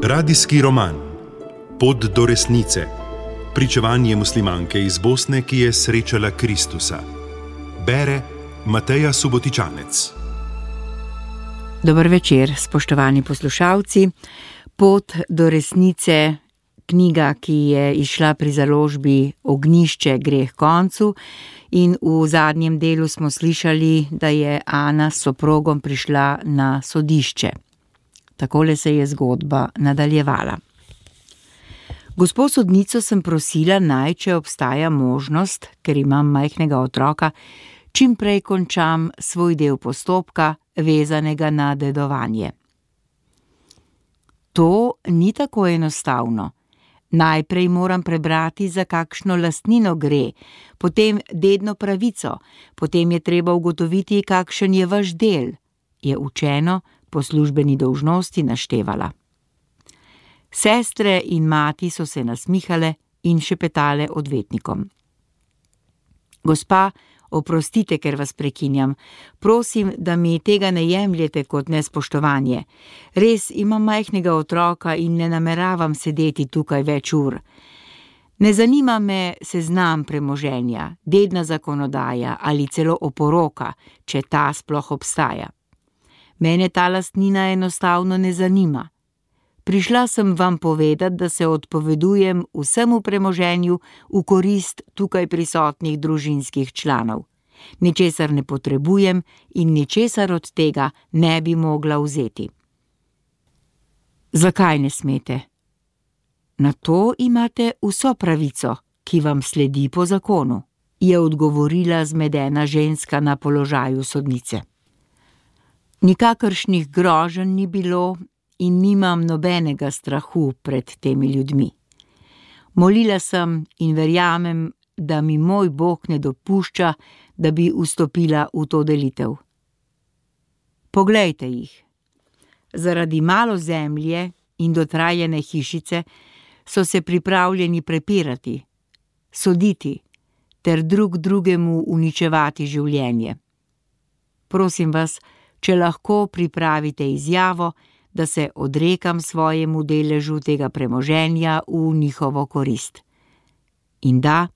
Radijski roman Pot do resnice. Pričevanje muslimanke iz Bosne, ki je srečala Kristusa. Bere Mateja Subotičanec. Dober večer, spoštovani poslušalci. Pot do resnice, knjiga, ki je izšla pri založbi Ognjišče gre h koncu, in v zadnjem delu smo slišali, da je Ana s soprogom prišla na sodišče. Takole se je zgodba nadaljevala. Gospo sodnico sem prosila naj, če obstaja možnost, ker imam majhnega otroka, čim prej končam svoj del postopka, vezanega na dedovanje. To ni tako enostavno. Najprej moram prebrati, za kakšno lastnino gre, potem dedno pravico, potem je treba ugotoviti, kakšen je vaš del, je učeno po službeni dolžnosti naštevala. Sestre in mati so se nasmihale in šepetale odvetnikom. Gospa, oprostite, ker vas prekinjam. Prosim, da mi tega ne jemljete kot nespoštovanje. Res imam majhnega otroka in ne nameravam sedeti tukaj več ur. Ne zanima me seznam premoženja, dedna zakonodaja ali celo oporoka, če ta sploh obstaja. Mene ta lastnina enostavno ne zanima. Prišla sem vam povedati, da se odpovedujem vsemu premoženju v korist tukaj prisotnih družinskih članov. Ničesar ne potrebujem in ničesar od tega ne bi mogla vzeti. Zakaj ne smete? Na to imate vso pravico, ki vam sledi po zakonu, je odgovorila zmedena ženska na položaju sodnice. Nikakršnih groženj ni bilo in nimam nobenega strahu pred temi ljudmi. Molila sem in verjamem, da mi moj Bog ne dopušča, da bi vstopila v to delitev. Poglejte jih. Zaradi malo zemlje in dotrajane hišice so se pripravljeni prepirati, soditi ter drug drugemu uničevati življenje. Prosim vas, če lahko pripravite izjavo, da se odrekam svojemu deležu tega premoženja v njihovo korist. In da,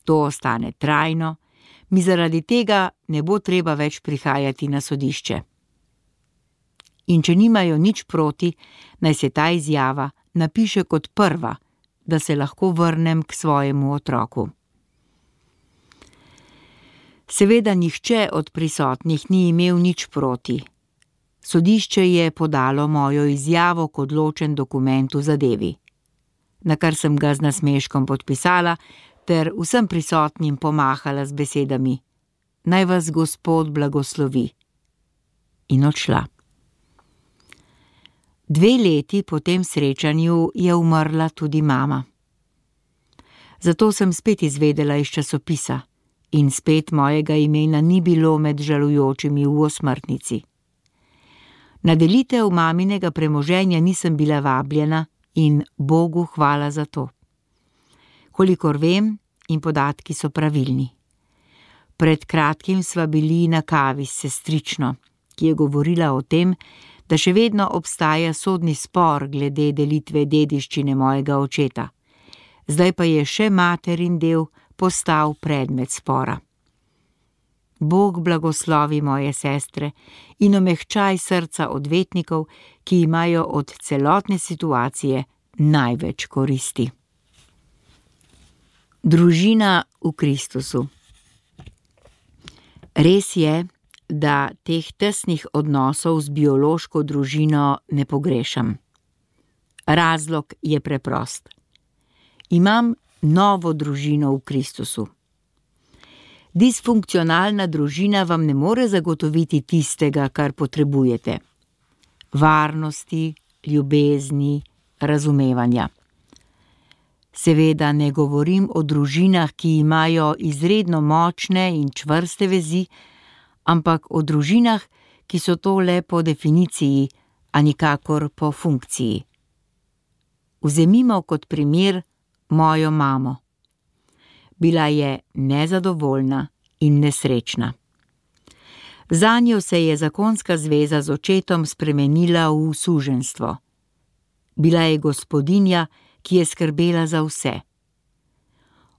to ostane trajno, mi zaradi tega ne bo treba več prihajati na sodišče. In če nimajo nič proti, naj se ta izjava napiše kot prva, da se lahko vrnem k svojemu otroku. Seveda nihče od prisotnih ni imel nič proti. Sodišče je podalo mojo izjavo kot ločen dokument v zadevi, na kar sem ga z nasmeškom podpisala ter vsem prisotnim pomahala z besedami: Naj vas Gospod blagoslovi. In odšla. 2 leti po tem srečanju je umrla tudi mama. Zato sem spet izvedela iz časopisa in spet mojega imena ni bilo med žalujočimi v osmrtnici. Na delitev maminega premoženja nisem bila vabljena in Bogu hvala za to. Kolikor vem, in podatki so pravilni. Pred kratkim sva bili na kavi s sestrično, ki je govorila o tem, da še vedno obstaja sodni spor glede delitve dediščine mojega očeta. Zdaj pa je še materin del postal predmet spora. Bog blagoslovi moje sestre in omehčaj srca odvetnikov, ki imajo od celotne situacije največ koristi. Družina v Kristusu. Res je, da teh tesnih odnosov z biološko družino ne pogrešam. Razlog je preprost. Imam novo družino v Kristusu. Disfunkcionalna družina vam ne more zagotoviti tistega, kar potrebujete. Varnosti, ljubezni, razumevanja. Seveda ne govorim o družinah, ki imajo izredno močne in čvrste vezi, ampak o družinah, ki so to le po definiciji, a nikakor po funkciji. Vzemimo kot primer mojo mamo. Bila je nezadovoljna in nesrečna. Zanjo se je zakonska zveza z očetom spremenila v suženjstvo. Bila je gospodinja, ki je skrbela za vse.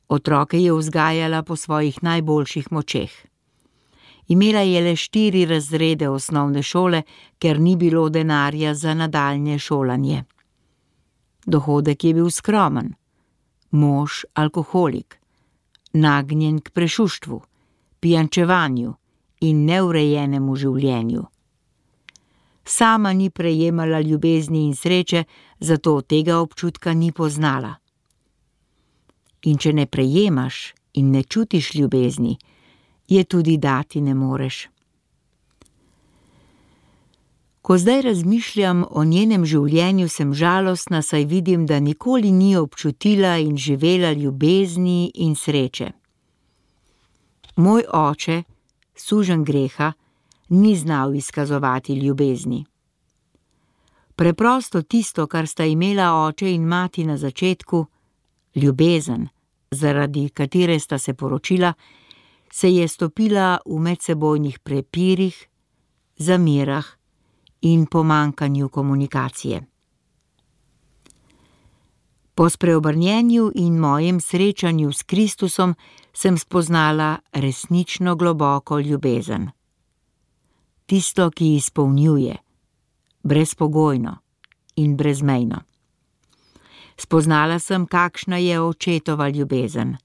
Otroke je vzgajala po svojih najboljših močeh. Imela je le 4 razrede osnovne šole, ker ni bilo denarja za nadaljnje šolanje. Dohodek je bil skromen. Mož alkoholik, nagnjen k prešuštvu, pijančevanju in neurejenemu življenju. Sama ni prejemala ljubezni in sreče, zato tega občutka ni poznala. In če ne prejemaš in ne čutiš ljubezni, je tudi dati ne moreš. Ko zdaj razmišljam o njenem življenju, sem žalostna, saj vidim, da nikoli ni občutila in živela ljubezni in sreče. Moj oče, suženj greha, ni znal izkazovati ljubezni. Preprosto tisto, kar sta imela oče in mati na začetku, ljubezen, zaradi katere sta se poročila, se je stopila v medsebojnih prepirih, zamerah in pomanjkanju komunikacije. Po spreobrnjenju in mojem srečanju s Kristusom sem spoznala resnično globoko ljubezen. Tisto, ki izpolnjuje, brezpogojno in brezmejno. Spoznala sem, kakšna je očetova ljubezen.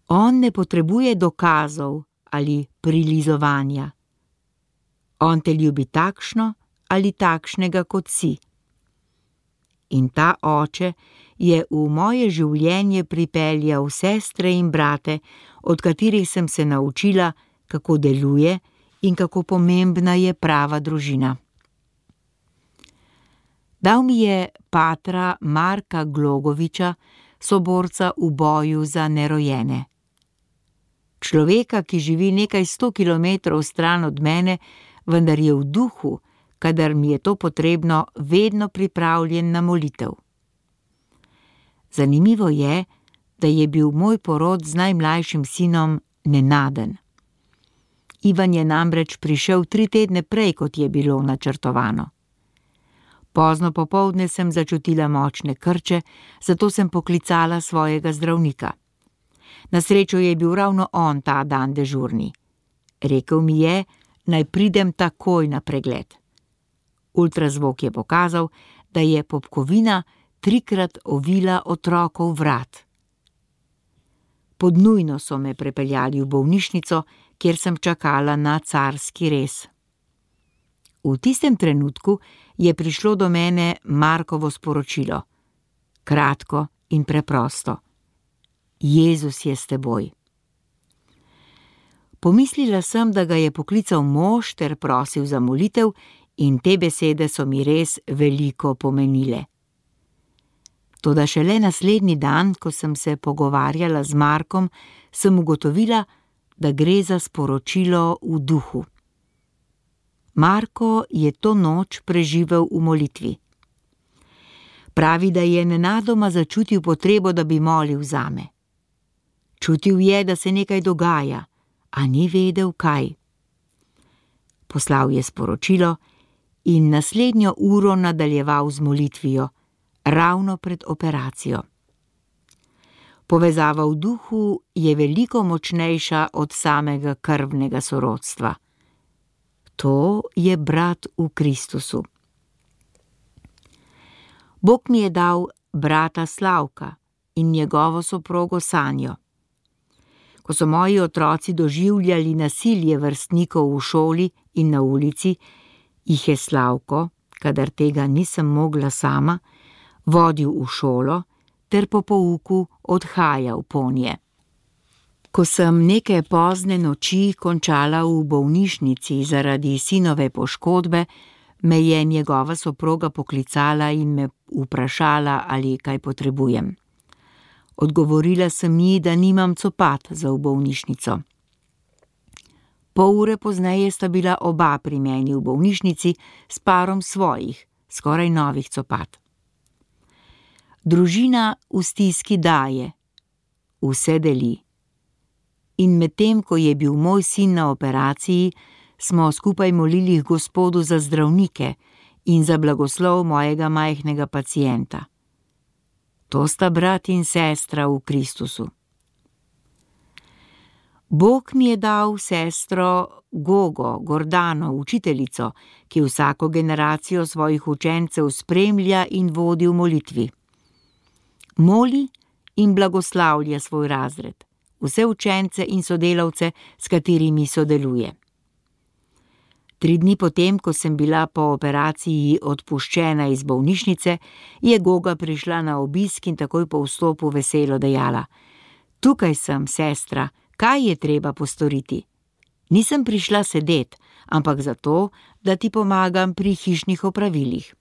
On ne potrebuje dokazov ali prilizovanja. On te ljubi takšno ali takšnega, kot si. In ta oče je v moje življenje pripeljal sestre in brate, od katerih sem se naučila, kako deluje in kako pomembna je prava družina. Dal mi je patra Marka Glogoviča, soborca v boju za nerojene. Človeka, ki živi nekaj 100 kilometrov stran od mene, vendar je v duhu, kadar mi je to potrebno, vedno pripravljen na molitev. Zanimivo je, da je bil moj porod z najmlajšim sinom nenaden. Ivan je namreč prišel 3 tedne prej, kot je bilo načrtovano. Pozno popoldne sem začutila močne krče, zato sem poklicala svojega zdravnika. Na srečo je bil ravno on ta dan dežurni. Rekel mi je, naj pridem takoj na pregled. Ultrazvok je pokazal, da je popkovina 3-krat ovila otrokov vrat. Pod nujno so me prepeljali v bolnišnico, kjer sem čakala na carski rez. V tistem trenutku je prišlo do mene Markovo sporočilo. Kratko in preprosto. Jezus je s teboj. Pomislila sem, da ga je poklical mož ter prosil za molitev, in te besede so mi res veliko pomenile. Toda šele naslednji dan, ko sem se pogovarjala z Markom, sem ugotovila, da gre za sporočilo v duhu. Marko je to noč preživel v molitvi. Pravi, da je nenadoma začutil potrebo, da bi molil zame. Čutil je, da se nekaj dogaja, a ni vedel, kaj. Poslal je sporočilo in naslednjo uro nadaljeval z molitvijo, ravno pred operacijo. Povezava v duhu je veliko močnejša od samega krvnega sorodstva. To je brat v Kristusu. Bog mi je dal brata Slavka in njegovo soprogo Sanjo. Ko so moji otroci doživljali nasilje vrstnikov v šoli in na ulici, jih je Slavko, kadar tega nisem mogla sama, vodil v šolo ter po pouku odhajal ponje. Ko sem neke pozne noči končala v bolnišnici zaradi sinove poškodbe, me je njegova soproga poklicala in me vprašala, ali kaj potrebujem. Odgovorila sem ji, da nimam copat za v bolnišnico. Pol ure pozneje sta bila oba pri meni v bolnišnici s parom svojih, skoraj novih copat. Družina v stiski daje, vse deli. In medtem, ko je bil moj sin na operaciji, smo skupaj molili Gospodu za zdravnike in za blagoslov mojega majhnega pacienta. To sta brat in sestra v Kristusu. Bog mi je dal sestro Gogo Gordano, učiteljico, ki vsako generacijo svojih učencev spremlja in vodi v molitvi. Moli in blagoslavlja svoj razred, vse učence in sodelavce, s katerimi sodeluje. 3 dni potem, ko sem bila po operaciji odpuščena iz bolnišnice, je Goga prišla na obisk in takoj po vstopu veselo dejala: "Tukaj sem, sestra, kaj je treba postoriti? Nisem prišla sedet, ampak zato, da ti pomagam pri hišnih opravilih."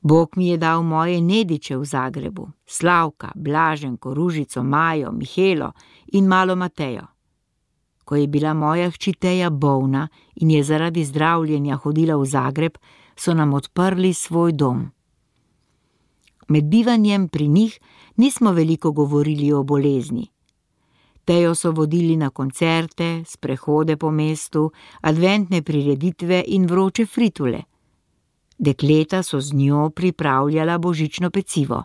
Bog mi je dal moje nediče v Zagrebu, Slavka, Blaženko, Ružico, Majo, Mihelo in malo Matejo. Ko je bila moja hči Teja bolna in je zaradi zdravljenja hodila v Zagreb, so nam odprli svoj dom. Med bivanjem pri njih nismo veliko govorili o bolezni. Tejo so vodili na koncerte, sprehode po mestu, adventne prireditve in vroče fritule. Dekleta so z njo pripravljala božično pecivo.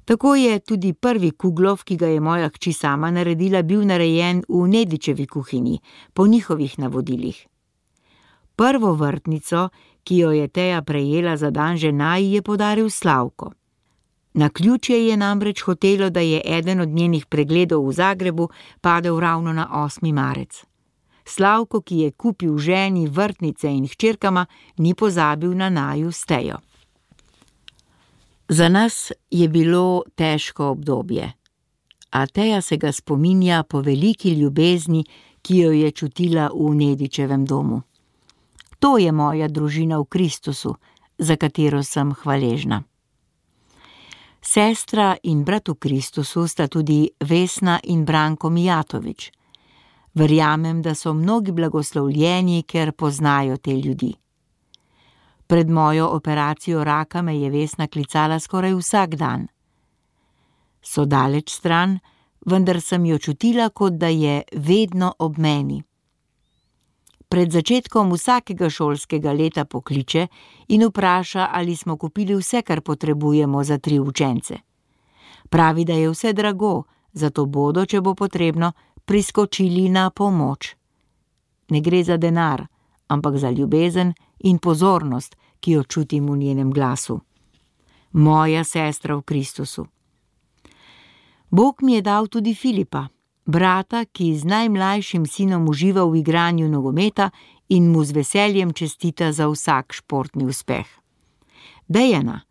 Tako je tudi prvi kuglov, ki ga je moja hči sama naredila, bil narejen v Nedičevi kuhinji, po njihovih navodilih. Prvo vrtnico, ki jo je Teja prejela za dan žena, ji je podaril Slavko. Naključje je namreč hotelo, da je eden od njenih pregledov v Zagrebu padel ravno na 8. marec. Slavko, ki je kupil ženi vrtnice in hčerkama, ni pozabil na naju s Tejo. Za nas je bilo težko obdobje, a Teja se ga spominja po veliki ljubezni, ki jo je čutila v Nedičevem domu. To je moja družina v Kristusu, za katero sem hvaležna. Sestra in brat v Kristusu sta tudi Vesna in Branko Mijatovič. Verjamem, da so mnogi blagoslovljeni, ker poznajo te ljudi. Pred mojo operacijo raka me je Vesna klicala skoraj vsak dan. So daleč stran, vendar sem jo čutila, kot da je vedno ob meni. Pred začetkom vsakega šolskega leta pokliče in vpraša, ali smo kupili vse, kar potrebujemo za 3 učence. Pravi, da je vse drago, zato bodo, če bo potrebno, priskočili na pomoč. Ne gre za denar, ampak za ljubezen in pozornost, ki jo čutim v njenem glasu. Moja sestra v Kristusu. Bog mi je dal tudi Filipa, brata, ki z najmlajšim sinom uživa v igranju nogometa in mu z veseljem čestita za vsak športni uspeh. Dejana,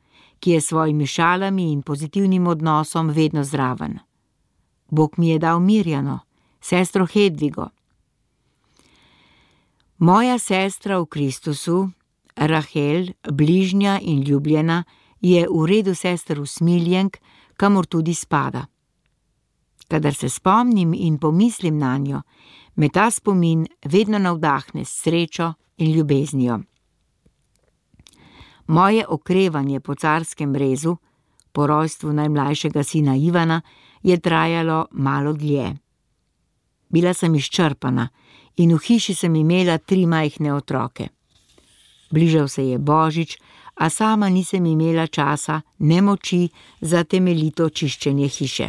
ki je s svojimi šalami in pozitivnim odnosom vedno zraven. Bog mi je dal Mirjano, sestro Hedvigo. Moja sestra v Kristusu, Rahel, bližnja in ljubljena, je v redu sester usmiljenk, kamor tudi spada. Kadar se spomnim in pomislim nanjo, me ta spomin vedno navdahne s srečo in ljubeznijo. Moje okrevanje po carskem rezu, po rojstvu najmlajšega sina Ivana, je trajalo malo dlje. Bila sem izčrpana in v hiši sem imela 3 majhne otroke. Bližal se je Božič, a sama nisem imela časa ne moči za temeljito čiščenje hiše.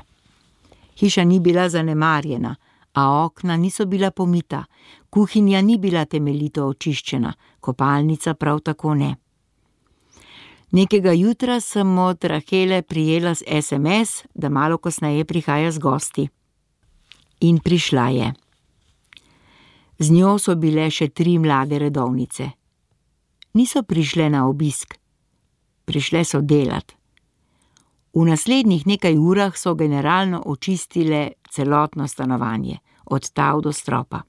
Hiša ni bila zanemarjena, a okna niso bila pomita, kuhinja ni bila temeljito očiščena, kopalnica prav tako ne. Nekega jutra sem od Rahele prijela SMS, da malo kasneje prihaja z gosti. In prišla je. Z njo so bile še 3 mlade redovnice. Niso prišle na obisk, prišle so delat. V naslednjih nekaj urah so generalno očistile celotno stanovanje, od tal do stropa.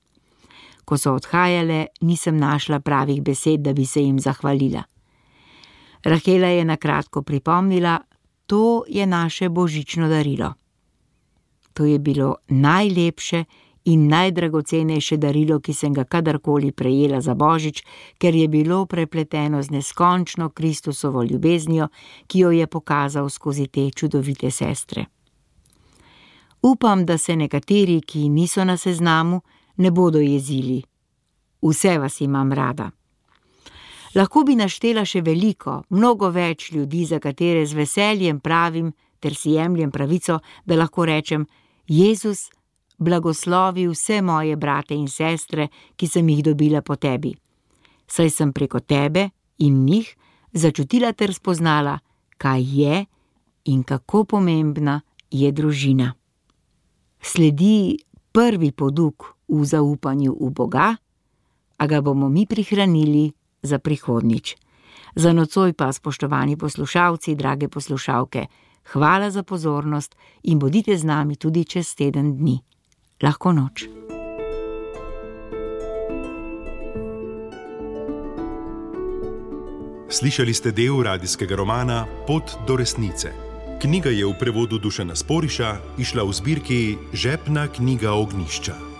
Ko so odhajale, nisem našla pravih besed, da bi se jim zahvalila. Rahela je na kratko pripomnila, to je naše božično darilo. To je bilo najlepše in najdragocenejše darilo, ki sem ga kadarkoli prejela za Božič, ker je bilo prepleteno z neskončno Kristusovo ljubeznijo, ki jo je pokazal skozi te čudovite sestre. Upam, da se nekateri, ki niso na seznamu, ne bodo jezili. Vse vas imam rada. Lahko bi naštela še veliko, mnogo več ljudi, za katere z veseljem pravim ter si jemljem pravico, da lahko rečem: Jezus, blagoslovi vse moje brate in sestre, ki sem jih dobila po tebi. Saj sem preko tebe in njih začutila ter spoznala, kaj je in kako pomembna je družina. Sledi prvi poduk v zaupanju v Boga, a ga bomo mi prihranili za prihodnjič. Za nocoj pa, spoštovani poslušalci, drage poslušalke, hvala za pozornost in bodite z nami tudi čez teden dni. Lahko noč. Slišali ste del radijskega romana Pot do resnice. Knjiga je v prevodu Dušana Sporiša izšla v zbirki Žepna knjiga Ognjišča.